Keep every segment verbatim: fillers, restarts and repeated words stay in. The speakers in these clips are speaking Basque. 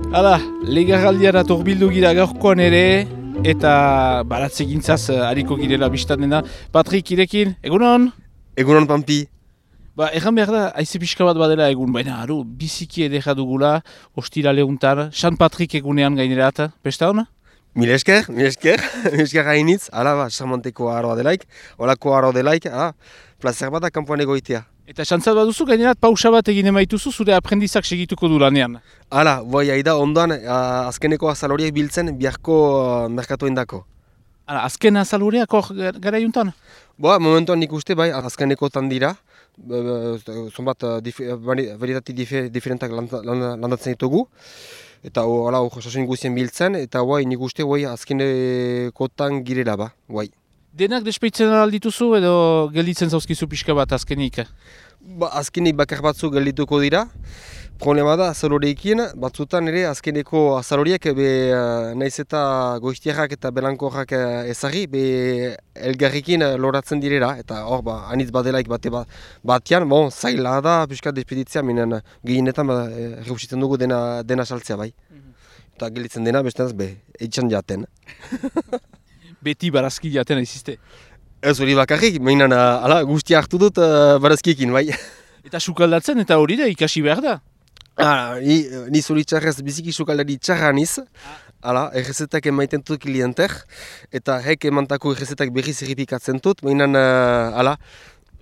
Hala, legarraldiara torbildu gira gaurkoan ere, eta baratze gintzaz hariko girela biztan dena. Patrik, irekin, egunon? Egunon, Pampi. Ba, erran behar da, haize pixka bat badela egun, baina aro, biziki edera dugula, ostira lehuntar, San Patrik egunean gainerat, pesta hona? Mil esker, mil esker, mil esker hainitz, ala, ba, charmanteko aroa delaik, olako aroa delaik, ala, placer bat da kanpoan egoitea. Eta xantzat baduzu, gainerat pausa bat egin emaituzu, zure aprendizak segituko du lanean. Hala, bai, haida, ondoan, uh, azkeneko azaloriek biltzen, biharko uh, merkatoen dako. Hala, azken azaloreak hor gara juntan? Boa, momentuan nik uste, bai, azkeneko tan dira, zonbat uh, dif varietati dif diferentak landatzen ditugu, eta hala, osasun guztien biltzen, eta bai, nik uste, bai, azkeneko tan girela, ba, bai. Denak despeitzen aldituzu edo gelditzen zauzkizu pixka bat azkenik? Ba, azkenik bakar batzu geldituko dira. Problema da azaloreekin, batzutan ere azkeneko azaloriek be naiz eta goiztiarrak eta belankorrak ezagri, be elgarrikin loratzen direla, eta hor, ba, anitz badelaik bate batean, bon, zaila da pixka despeditzea, minen gehienetan ba, reusitzen dugu dena, dena saltzea bai. Eta gelditzen dena, bestenaz, be, eitxan jaten. Beti barazki jaten aizizte. Ez hori bakarrik, mainan ala, guztia hartu dut uh, barazkiekin, bai. Eta sukaldatzen eta hori da ikasi behar da? Ah, ni, ni zuri txarrez biziki sukaldari txarra niz. Hala, errezetak emaiten dut klienter, eta hek emantako errezetak berriz errepikatzen dut, mainan, uh, hala,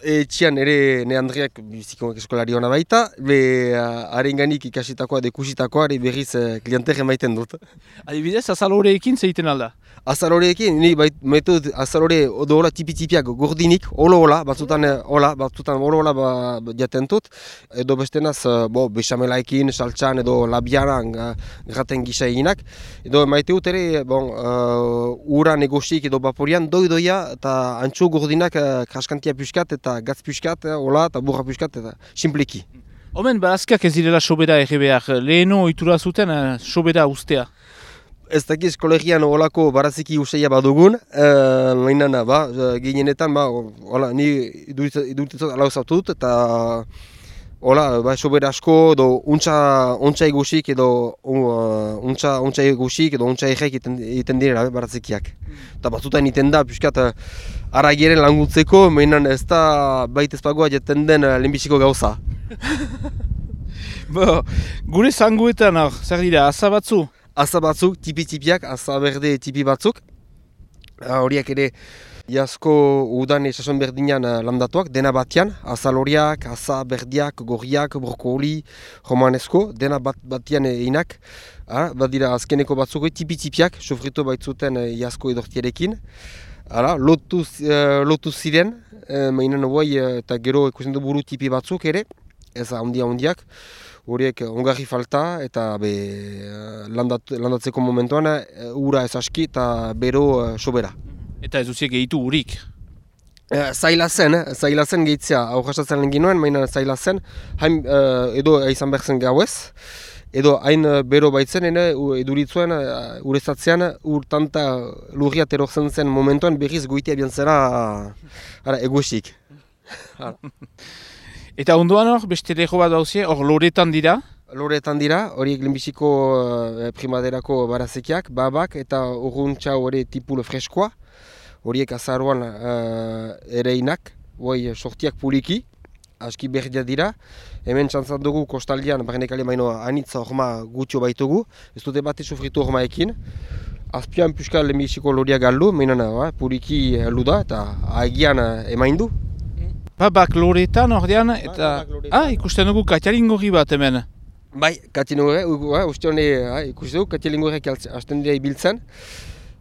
etxian ere ne Andreak biziko eskolari hona baita, be harenganik uh, ikasitakoa, dekusitakoa, berriz uh, klienter emaiten dut. Adibidez, azaloreekin zeiten alda? Azaloreekin, ni baitu azalore odola tipi-tipiak gordinik, olo-ola, batzutan ola, batzutan olo-ola ba, jaten dut, edo bestenaz, bo, bechamelaekin, saltxan edo labiaran graten gisa eginak, edo maite dut ere, bon, uh, ura negosik edo vaporian, doi-doia eta antxo gordinak uh, kraskantia puskat eta gatz puskat, ola eta burra puskat eta simpleki. Omen, barazkiak ez direla sobera ege behar, leheno ohitura zuten uh, sobera ustea? Ez dakiz kolegian olako baraziki useia badugun, uh, mainan, ba, gehienetan, ba, ola, ni idurtitzat ala usatu dut, eta ola, ba, sobera asko, edo untxa, untxa egusik, edo uh, untxa, untxa egusik, edo untxa egek egiten direla barazikiak. Eta batzutan iten da, piskat, aragieren langutzeko, mainan ez da baita ezpagoa jaten den lehenbiziko gauza. Bo, gure zanguetan, zer dira, asa batzu? Asa batzuk, tipi-tipiak, asa berde tipi batzuk. Horiak ere iazko udan esason berdinean landatuak, dena batean. Azaloriak, asa berdiak, gorriak, brokoli, romanesko, dena bat, batean einak. Ha, badira azkeneko batzuk tipi-tipiak, sofrito baitzuten iazko edortiarekin. Hala, lotu, uh, lotu ziren, uh, mainen hoi eta gero ikusten du buru tipi batzuk ere, ez handia-handiak. Horiek ongarri falta eta be, landat, landatzeko momentuan ura ez aski eta bero uh, sobera. Eta ez duziek gehitu urik? E, zaila zen, zaila zen gehitzea, aurrasatzen lehen ginoen, maina zaila zen, hain uh, edo izan behar zen gauez, edo hain uh, bero baitzen, ene, eduritzuen, uh, urezatzean, urtanta lurriat erortzen zen momentuan berriz goitea biantzera uh, egusik. Eta ondoan hor, beste lego bat dauzie, hor loretan dira? Loretan dira, horiek lehenbiziko uh, primaderako barazekiak, babak eta urruntxa hori tipul freskoa. Horiek azaruan uh, ereinak, hoi sortiak puliki, aski berdia dira. Hemen txantzat dugu kostaldian, barrenekale maino anitza horma gutxo baitugu, ez dute bate sofritu hormaekin. Azpian puska lehenbiziko loria galdu, mainana uh, puliki heldu da eta agian uh, emaindu. Babak loretan ordean, eta ah, ikusten dugu katialingorri bat hemen. Bai, katialingorri, uh, uste hone uh, ikusten dugu katialingorriak hasten dira ibiltzen.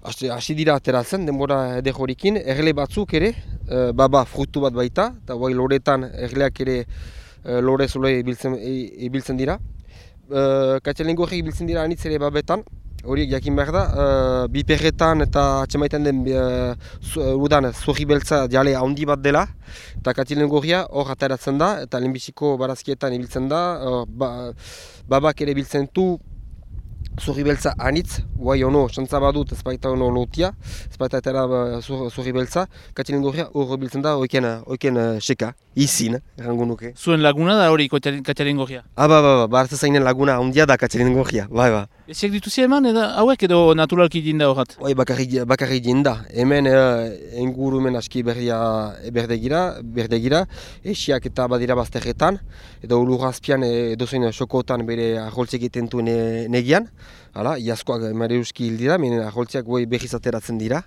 Hasi dira ateratzen, denbora eder horikin, erle batzuk ere, uh, baba frutu bat baita, eta bai loretan erleak ere uh, lore zule ibiltzen, ibiltzen dira. Uh, katialingorri ibiltzen dira anitz ere babetan. Horiek jakin behar da, uh, biperretan eta atxemaiten den uh, udan zurri beltza jale handi bat dela, eta katialingorria hor ateratzen da, eta lehenbiziko barazkietan ibiltzen da, uh, ba, babak ere biltzen du zurri beltza anitz, guai ono, xantza badut ez baita ono lotia, ez baita etera zurri beltza, katialingorria hor biltzen da, oiken, oiken uh, seka, izin, errango nuke. Zuen laguna da hori katialingorria? Ah, ba, ba, ba, ba, zainen laguna handia da katialingorria, bai, ba. Eziak dituzi eman, edo hauek edo naturalki dinda horret? Bai, bakarrik, bakarrik dinda. Hemen uh, ingurumen aski berdia berdegira, berdegira, esiak eta badira bazterretan, edo ulurazpian edozein sokotan bere aholtzik egiten du ne, negian. Hala, iazkoak mareuski hil dira, menen aholtziak bai berriz ateratzen dira,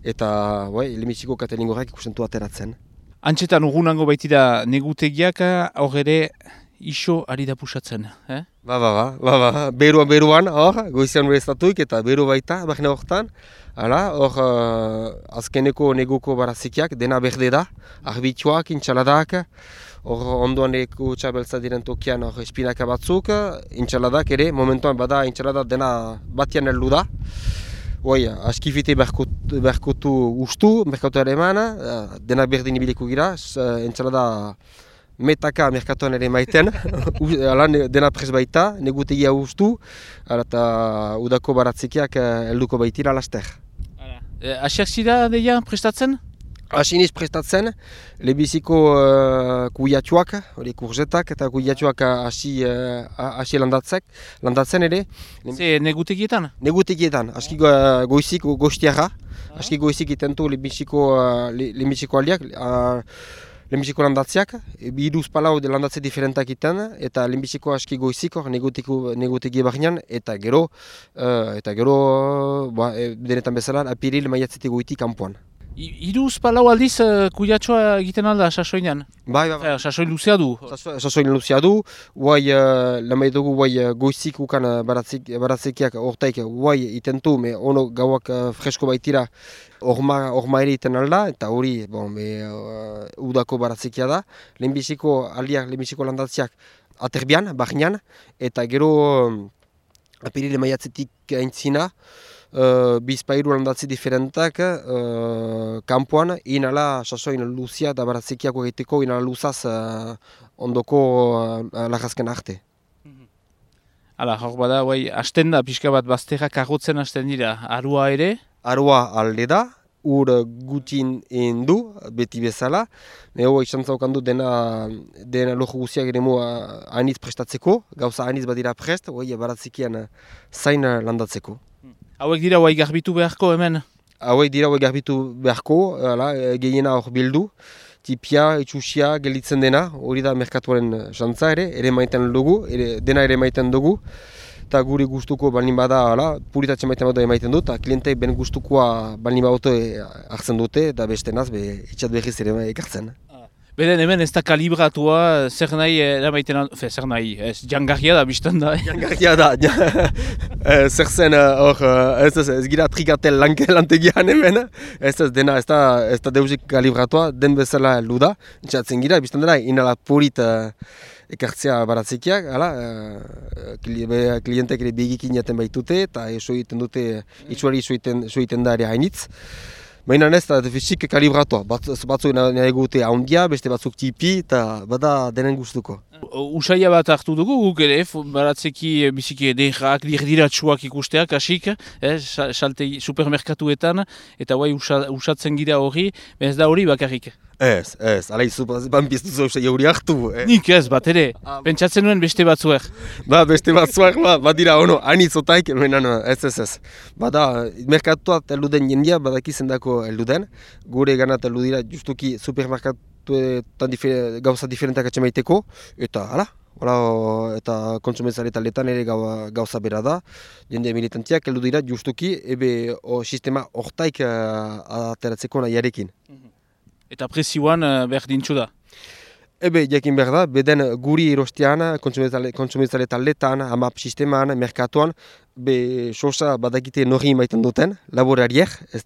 eta bai, lehenbiziko katelingorrak ikustentu ateratzen. Antxetan urgunango baitira negutegiak, hor ere iso ari da pusatzen, eh? Ba, ba, ba, ba, ba, beruan, beruan, hor, goizian bereztatuik eta beru baita, bahne horretan. Hala, hor, uh, azkeneko neguko barazikiak, dena berde da, arbitxoak, intxaladak, hor ondoan eko txabeltza diren tokian hor espinaka batzuk, intxaladak ere, momentuan bada intxaladak dena batian heldu da. Hoi, askifite berkotu ustu, merkatu ere eman, dena berdin ibiliko gira, intxalada metaka merkatuan ere maiten, dena prez baita, negutegia ustu, eta udako baratzikiak helduko baitira laster. Asiak zira deia prestatzen? Asiniz prestatzen, lebiziko uh, kuiatxoak, hori kurzetak eta kuiatxoak hasi uh, landatzek, landatzen ere. Ze negutegietan? Negutegietan, aski uh, goizik goiztiara, aski goizik itentu lebiziko uh, lebiziko aldiak, uh, lehenbiziko landatziak, biduz palau de landatze diferentak iten, eta lehenbiziko aski goizik hor negutegie barnean, eta gero, uh, eta gero, uh, ba, denetan bezala, apiril maiatzete goiti kanpoan. Iruz palau aldiz uh, kuiatxoa egiten alda sasoinan? Bai, bai, bai. Sasoin luzea du? Sasoin luzea du, guai, uh, lamai dugu guai uh, goizik ukan uh, baratzekiak hortaik guai itentu, me ono gauak uh, fresko baitira orma, orma ere iten alda, eta hori bon, be, uh, udako baratzekia da. Lehenbiziko aldiak, lehenbiziko landatziak aterbian, barnean, eta gero um, apirile maiatzetik aintzina, Uh, bizpairu landatzi diferentak uh, kanpoan, inala sasoin luzia eta baratzekiako egiteko inala luzaz uh, ondoko uh, lagazken arte. Hala, hor bada, bai, hasten da, pixka bat bazterrak agotzen hasten dira, arua ere? Arua alde da, ur gutin egin du, beti bezala. Nego izan zaukan du dena, dena lojo guziak ere mua anitz prestatzeko, gauza anitz badira prest, oi, baratzekian zain landatzeko. Hauek dira hauek garbitu beharko hemen? Hauek dira hauek garbitu beharko, gehiena hor bildu. Tipia, itxusia, gelditzen dena, hori da merkatuaren jantza ere, ere maiten dugu, ere, dena ere maiten dugu. Eta gure gustuko balin bada, puritatzen maiten bada emaiten dut, eta klientek ben gustukoa balin bada hartzen dute, eta beste naz, be, itxat berriz ere ekartzen. Beden hemen ez da kalibratua, zer nahi eramaiten aldo, fe, zer nahi, ez, jangarria da biztan da. Jangarria da, zer zen hor, ez ez, ez gira trikatel lantegian hemen, ez ez dena, ez da, ez da deuzik kalibratua, den bezala heldu da, intxatzen gira, biztan dena, inala purit ekartzea baratzekiak, hala, klientek ere begikin jaten baitute, eta eso egiten dute, itxuari eso egiten da ere hainitz. Baina ez da fizik kalibratua, batzuk nahi gute handia, beste batzuk tipi, eta bada denen gustuko. Usaia bat hartu dugu guk ere, baratzeki biziki edekak, dirdiratsuak ikusteak, hasik, eh, supermerkatuetan, eta guai usatzen gira hori, ez da hori bakarrik. Ez, ez, ala izu, ban biztuzo usai hori hartu. Eh. Nik ez, bat ere, pentsatzen nuen beste batzuek. Ba, beste batzuek, ba, bat dira, ono, anitzotaik, menan, ez, ez, ez. Bada, merkatuat eluden jendia, badakizen dako eluden, gure ganat elu dira justuki supermerkatuetan difer, gauza diferentak atxemaiteko, eta, hala, hala, eta kontsumenzare taletan ere gauza bera da, jende militantiak elu dira justuki, ebe o, sistema hortaik uh, ateratzeko nahiarekin. Eta prezioan uh, berdintxu da? Ebe, jakin behar da, beden guri erostean, kontsumenzale taletan, amap sisteman, merkatuan, be sosa badakite norri maiten duten, laborariek, ez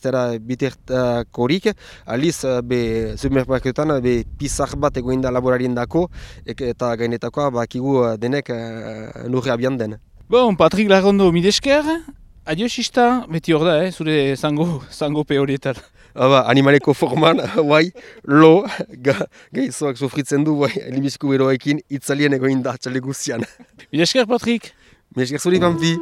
dara bitertakorik, aliz, be supermerkatetan, be pizar bat egoin da laborarien dako, eta gainetakoa bakigu denek uh, norri abian den. Bon, Patrik Larrondo, midesker, adio sista, beti hor da, eh, zure zango, zango pe horietan. Aba, animaleko forman, guai, lo, ga, gaizoak sofritzen du, guai, elimizko beroekin, itzalien egoin da, txale guztian. Midesker, Patrik! Midesker zuri, Pampi!